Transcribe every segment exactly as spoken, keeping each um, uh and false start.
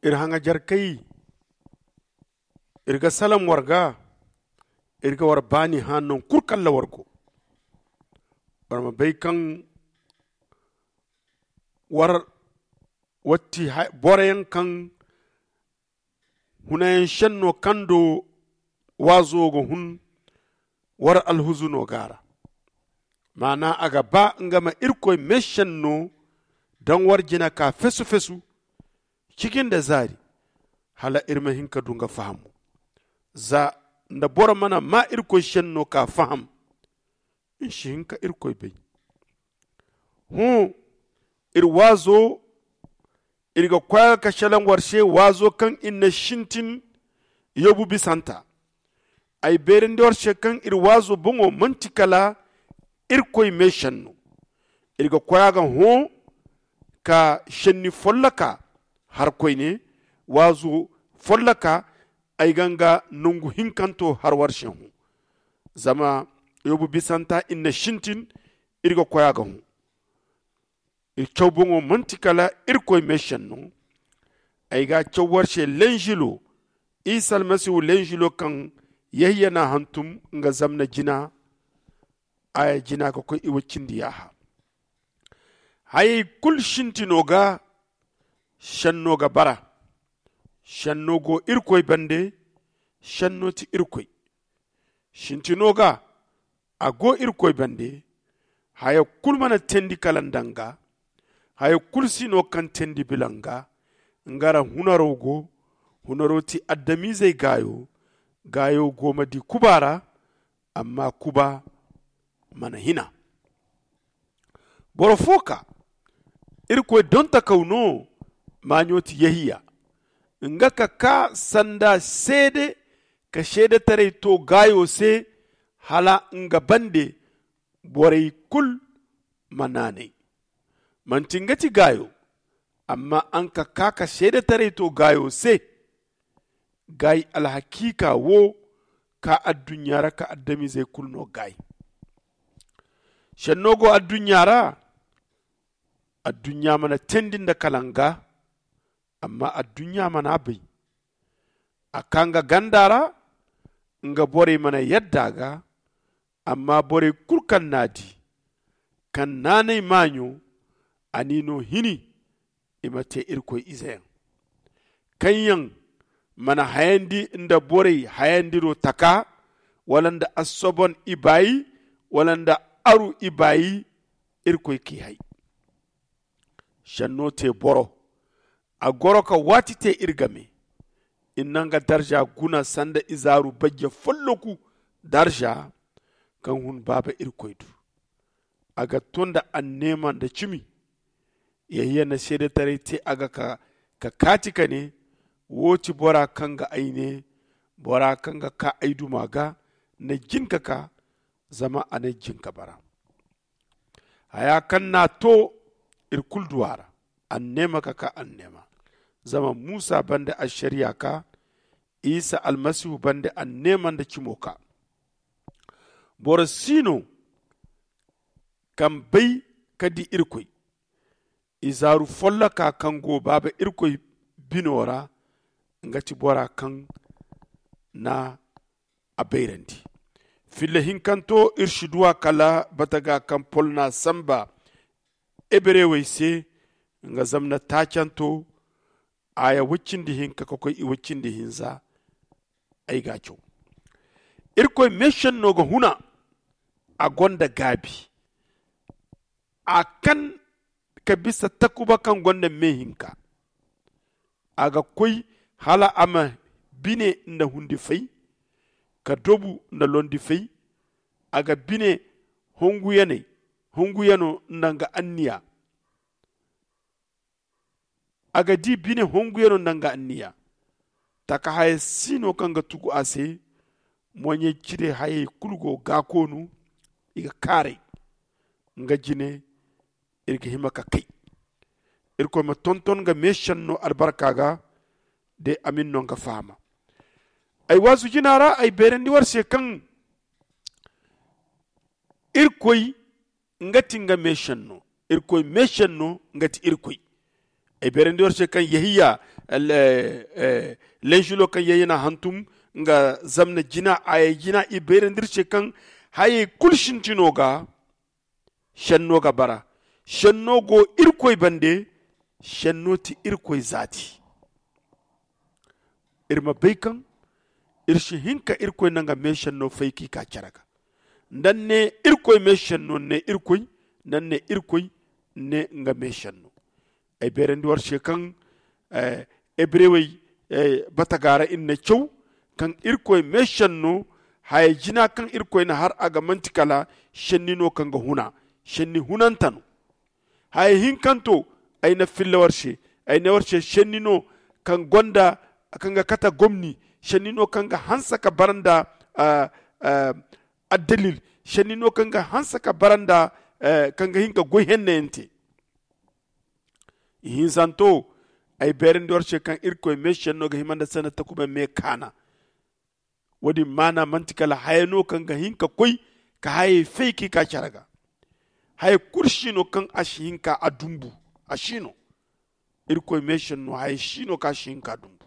Iri haŋajarkey, iri ga salam war ga, iri ga war baani hã naŋ kulu kaŋ ra war go. War ma bay kaŋ war war ti boroyaŋ kaŋ hunayaŋ senno kaŋ do waazo ga hun, war alhuzuno go a ra. Maana a ga ba nga ma irkoy meesenno daŋ war jina ka fesu-fesu, ciji nda zaari, hala iri ma hin ka du nga fahamo. Za nda boro mana maa irkoy senno ka faham, iri si hin ka irkoy bay. Hõ, iri waazo, iri ga koy a ga ka selaŋ war se waazo kaŋ iri na sintin yobu bisanta. Ay beerandi war se kaŋ iri waazo boŋo manti kala irkoy meesenno. Iri ga koy a ga hõ ka senni folloka har koyne, waazo folloka, ay ga nga nangu hinkanto har war se hõ. Zama yobu bisanta iri na sintin, iri ga koy a ga hõ. Iri caw boŋo manti kala irkoy meesenno. Ay ga a caw war se lenjilo, isa almasihu lenjilo kaŋ yehiya n'a hantum nga zamna jina, a ya jina ga koy i wa cindi yaaha. Hayey kulu sintino ga senno ga bara. Senno go irkoy bande. Senno ti irkoy. Sintino ga a go irkoy bande. Haya kulu mana teendi kala nda nga. Haya kulu si no kaŋ teendi bila nga. Nga ra hunaro go. Hunaro ti adamizey gaayo. Gaayo go ma di kuba ra. Amma kuba mana hina. Boro fo ka irkoy dontakaw no. Maaɲo ti yehiya. Nga ka kaa sanda seede ka seedetaray to gaayo se hala nga bande borey kulu ma naanay. Manti nga ti gaayo. Amma a nga ka kaa ka seedetaray to gaayo se. Gaayi alhakiika wo ka adduɲɲa ra ka adamizey kulu no gaayi. Senno go adduɲɲa ra. Adduɲɲa mana teendi nda kala nga. Amma adduɲɲa mana a bay. A kaa nga ganda ra. Nga borey mana yadda a ga. Amma borey kulu kaŋ n'a di kaŋ naanay maaɲo a n'i no hini. I ma te irkoy izeyaŋ kaŋ yaŋ mana hayandi nda borey hayandiro taka wala nda assobon ibaayi wala nda aru ibaayi. Irkoy k'i hay. Senno te boro. A goro ka waati te iri game. Iri na nga darza guna sanda izaaru bajje folloku darza kaŋ hun baaba irkoy du. A ga to nda anneema nda cimi. Yehiya na seedetaray te a ga ka kaati ka ne, wo ti bora kaŋ ga ay ne, bora kaŋ ga kaa ay duma ga na jin ka kaa. Zama a na jin ka bara. Haya kaŋ n'a to iri kulu du a ra. Anneema ka kaa anneema. Zama muusa bande ašariya kaa. Isa almasihu bande anneema nda cimo kaa. Boro si no kaŋ bay ka di irkoy. Izaaru folloka kaŋ go baaba irkoy bino ra. Nga ti bora kaŋ na a bayrandi. Filla hinkanto iri si du a kala bataga kaŋ pol n'a samba heberewey se. Nga zamna taacanto aya woy cindi hinka ka koy i woy cindi hinza. Ay ga a caw. Irkoy meesenno ga huna. A gonda gaabi. A kan ka bisa takuba kaŋ gonda me hinka. A ga koy hala a ma bine nda hundi fay ka dobu nda londi fay. A ga bine honguyaney honguyano nda nga anniya. A ga di bine honguyano nda nga anniya. Taka haya si no kaŋ ga tugu a se. Moɲey cire hayey kulu go gaakoonu. I ga kaaray nga jine. Iri ga hima ka kay. Irkoy ma tonton nga meesenno albarka ga. De amin no nga fahama. Ay waazu jina ra ay beerandi war se kaŋ irkoy nga ti nga meesenno. Irkoy meesenno nga ti irkoy. Ay beerandi war se kaŋ yehiya lensulo kaŋ yehiya na hantum nga zamna jina a ye jina i beerandi ir se kaŋ hayey kulu sintino ga senno ga bara. Senno go irkoy bande. Senno ti irkoy zaati. Ir ma bay kaŋ ir si hin ka irkoy na nga meesenno fay k'i ka care ga. Nda ni ne irkoy meesenno ni ne irkoy. Nda ni ne irkoy ni ne nga meesenno. Ay beerandi war se kaŋ ebrewey bataga ra ir na caw kaŋ irkoy meesenno haya jina kaŋ irkoy na har a ga manti kala senni no kaŋ ga huna. Senni hunante no. Haya hinkanto ay na filla war se. Ay ne war se senni no kaŋ gonda kaŋ ga kate gomni. Senni no kaŋ ga hanse ka bara nda addalil. Senni no kaŋ ga hanse ka bara nda kaŋ ga hin ka goy hennayaŋ te. Ihinzanto ay beerandi war se kaŋ irkoy meesenno ga hima nda sanda takuba me kaana. Wo- din maana manti kala haya no kaŋ ga hin ka koy ka hayey fay k'i ka care ga. Haya kulu si no kaŋ a si hin ka a dumbu. A si no. Irkoy meesenno haya si no kaŋ a si hin ka a dumbu.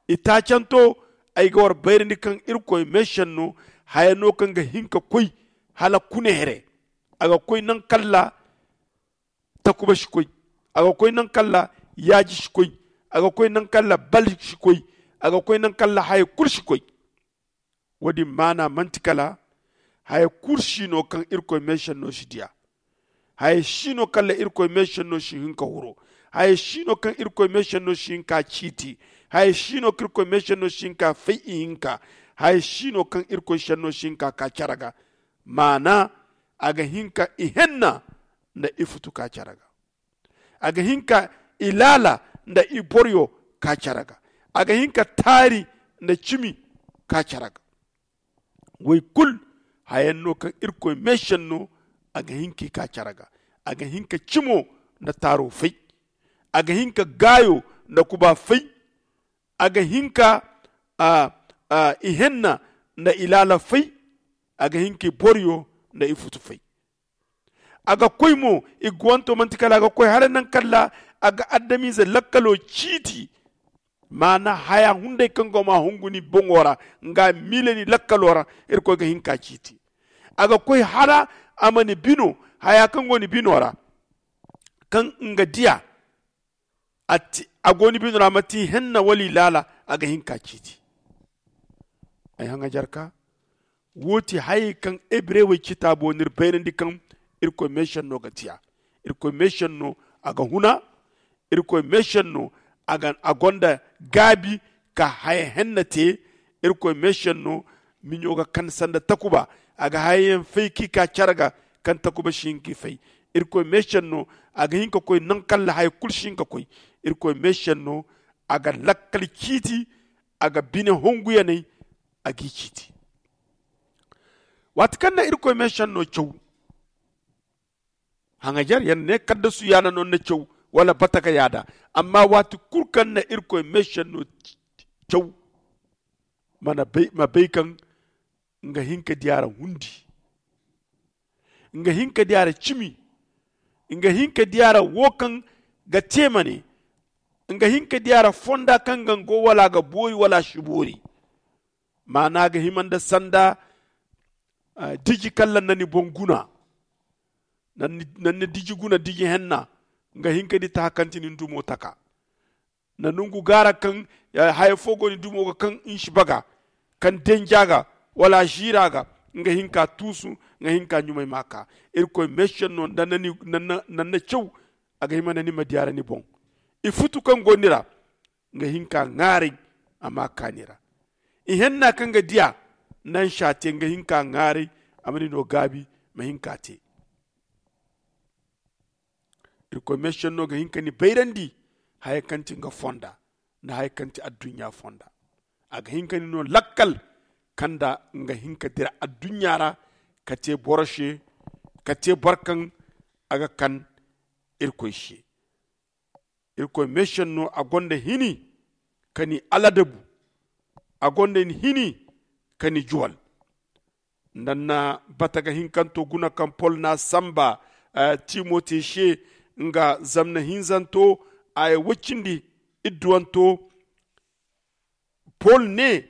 Itaacanto ay ga war bayrandi kaŋ irkoy meesenno haya no kaŋ ga hin ka koy hala kune here. A ga koy naŋ kalla takuba si koy. A ga koy naŋ kalla yaaji si koy. A ga koy naŋ kalla bal si koy. A ga koy naŋ kalla haya kulu si koy. Wo- din maana manti kala haya kulu si no kaŋ irkoy meesenno si diya. Haya si no kala irkoy meesenno si hin ka huro. Haya si no kaŋ irkoy meesenno si hin ka ciiti. Haya si no kaŋ irkoy meesenno si hin ka fay ihinka. Haya si no kaŋ irkoy senno si hin ka ka care ga. Maana a ga hin ka ihenna nda ifutu ka care ga. A ga hin ka ilaala nda iboroyo ka care ga. A ga hin ka taari nda cimi ka care ga. Woy kulu hayaŋ no kaŋ irkoy meesenno a ga hin k'i ka care ga. A ga hin ka cimo nda taaro fay. A ga hin ka gaayo nda kuba fay. A ga hin ka ihenna nda ilaala fay. A ga hin ka iboroyo nda ifutu fay. A ga koy mo i guwanto manti kala a ga koy hala naŋ kala a ga adamize lakkalo ciiti. Maana haya hunday kaŋ go ma hungu ni boŋo ra nga miile ni lakkalo ra. Irkoy ga hin ka ciiti. A ga koy hala a ma ni bino haya kaŋ go ni bino ra kaŋ nga diya a go ni bino ra ma ti henna wala i laala. A ga hin ka ciiti. Ay haŋajarka wo ti hayey kaŋ hebrewey citaabo n'iri bayrandi kaŋ irkoy meesenno ga tiya. Irkoy meesenno a ga huna. Irkoy meesenno a gonda gaabi ka haya henna te. Irkoy meesenno miɲo ga kan sanda takuba. A ga hayayaŋ fay k'i ka care ga kaŋ takuba si hin k'i fay. Irkoy meesenno a ga hin ka koy naŋ kala haya kulu si hin ka koy. Irkoy meesenno a ga lakkal ciiti. A ga bine honguyaney a g'i ciiti. Waati kaŋ na irkoy meesenno caw haŋajar yaŋ ne kaddasu yaana no ni na caw wala bataga yaada. Amma waati kulu kaŋ na irkoy meesenno caw ma bay kaŋ nga hin ka diya ra hundi. Nga hin ka diya ra cimi. Nga hin ka diya ra wo kaŋ ga te ma ne. Nga hin ka diya ra fonda kaŋ ga nga go wala a ga boori wala a si boori. Maana ga hima nda sanda diji kaŋ laŋ na ni boŋ guna. Naŋ na diji guna diji henna nga hin ka di taha kaŋ ti nin dumo taka. Na nungu gaara kaŋ haya fo go ni dumo ga kaŋ nsi baga kaŋ denja ga wala a ziira ga. Nga hin ka tuusu nga hin ka ɲumay ma ka. Irkoy meesenno naŋ na caw a ga hima nda ni ma diya ra ni boŋ. I futu kaŋ go ni ra nga hin ka ŋaaray a ma kaani ra. Ihenna kaŋ ga diya naŋ sha te nga hin ka ŋaaray a ma ni no gaabi ma hin ka te. Irkoy meesenno ga hin ka ni bayrandi haya kaŋ ti nga fonda nda haya kaŋ ti adduɲɲa fonda. A ga hin ka ni no lakkal kaŋ nda nga hin ka dira adduɲɲa ra ka te boro se ka te boro kaŋ a ga kan irkoy se. Irkoy meesenno a gonda hini ka ni aladabu. A gonda hini ka ni juwal. Nda ni na bataga hinkanto guna kaŋ pol na samba timote se nga zamna hinzanto aya wacindi idduwanto. Pol ne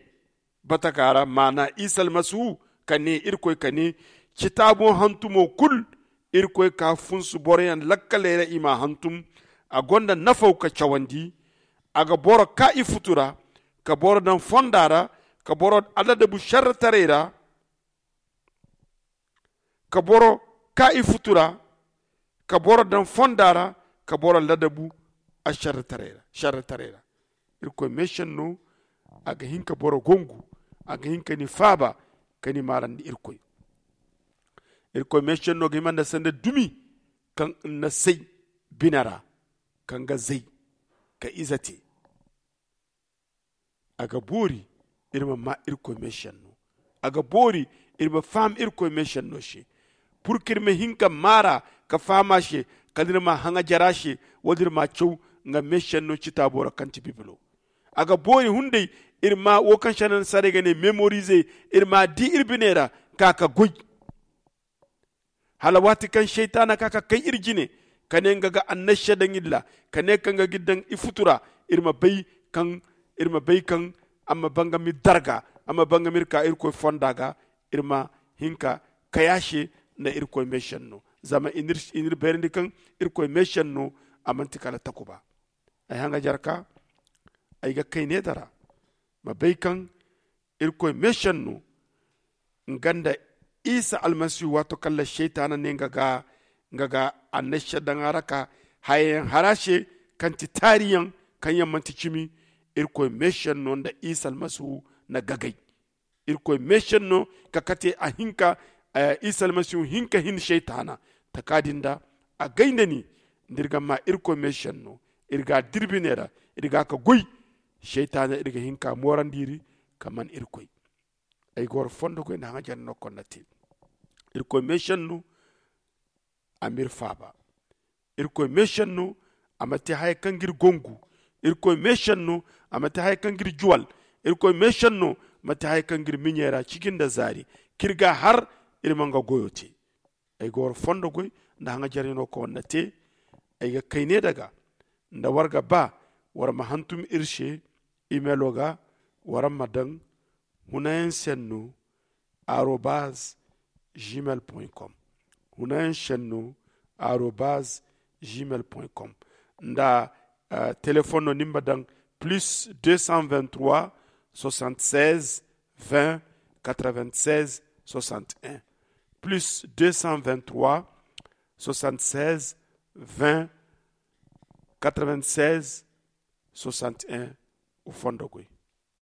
bataka ra maana isa almasihu ka ne irkoy ka ne citaabo hantumo kul irkoy ka funsu boroyaŋ lakkaley ra i ma hantum. A gonda nafaw ka cawandi. A ga boro ka i futu ra ka boro daŋ fonda ra ka boro aladabu sharrataray ra ka boro ka i futu ra ka boro daŋ fonda ra ka boro ladabu a sharrataray ra. Irkoy meesenno a ga hin ka boro gongu. A ga hin ka ni faaba ka ni maarandi irkoy. Irkoy meesenno ga hima nda sanda dumi kaŋ na say bine ra kaŋ ga zay ka ize te. A ga boori iri ma maa irkoy meesenno. A ga boori iri ma faham irkoy meesenno se pur ka iri ma hin ka maara ka faham a se kala iri ma haŋajar a se. Wo- din iri ma caw nga meesenno citaabo ra kaŋ ti bibilo. A ga boori hunday iri ma wo kaŋ se naŋ saray ga ne memorize iri ma di iri bine ra ka ka goy. Hala waati kaŋ seytaana ka ka kay iri jine ka ne nga ga annasya daŋ iri ra ka ne kaŋ ga ga iri daŋ i futu ra iri ma bay kaŋ iri ma bay kaŋ a ma bangam iri darga a ma bangam iri ka irkoy fonda ga iri ma hin ka kay a se nda irkoy meesenno. Zama i n'iri bayrandi kaŋ irkoy meesenno a manti kala takuba. Ay haŋajar ka ay ga kay ne dara ma bay kaŋ irkoy meesenno nga nda isa almasihu waato kaŋ la seytaana ne nga ga annasya daŋ a ra ka hayayaŋ har a se kaŋ ti taariyaŋ kaŋ yaŋ manti cimi. Irkoy meesenno nda isa almasihu na gagay. Irkoy meesenno ka kate a hinka isa almasihu hinka hin seytaana taka din da a gay nda ni nda iri ga maa irkoy meesenno iri ga a dira bine ra iri ga a ka goy. Seytaana iri ga hin ka moorandi iri ka man irkoy. Ay ga war fondo goy nda haŋajar no konda te. Irkoy meesenno a m'iri faaba. Irkoy meesenno a ma te haya kaŋ ga iri gongu. Irkoy meesenno a ma te haya kaŋ ga iri juwal. Irkoy meesenno ma te haya kaŋ ga iri miɲey ra ciji nda zaari k'iri ga a har iri ma nga goyo te. Ay ga war fondo goy nda haŋajar no kaŋ war na te. Ay ga kay ne daga nda war ga ba war ma hantum iri se. Imelo ga war ma daŋ hunayaŋ senno arobaz gmail com. Hunayaŋ senno arobaz gmail com. Nda telefoŋ no ni ma daŋ plus deux cent vingt trois soixante seize vingt quatre vingt seize soixante un. Plus deux cent vingt trois soixante seize vingt quatre vingt seize soixante un. Wo fondo goy.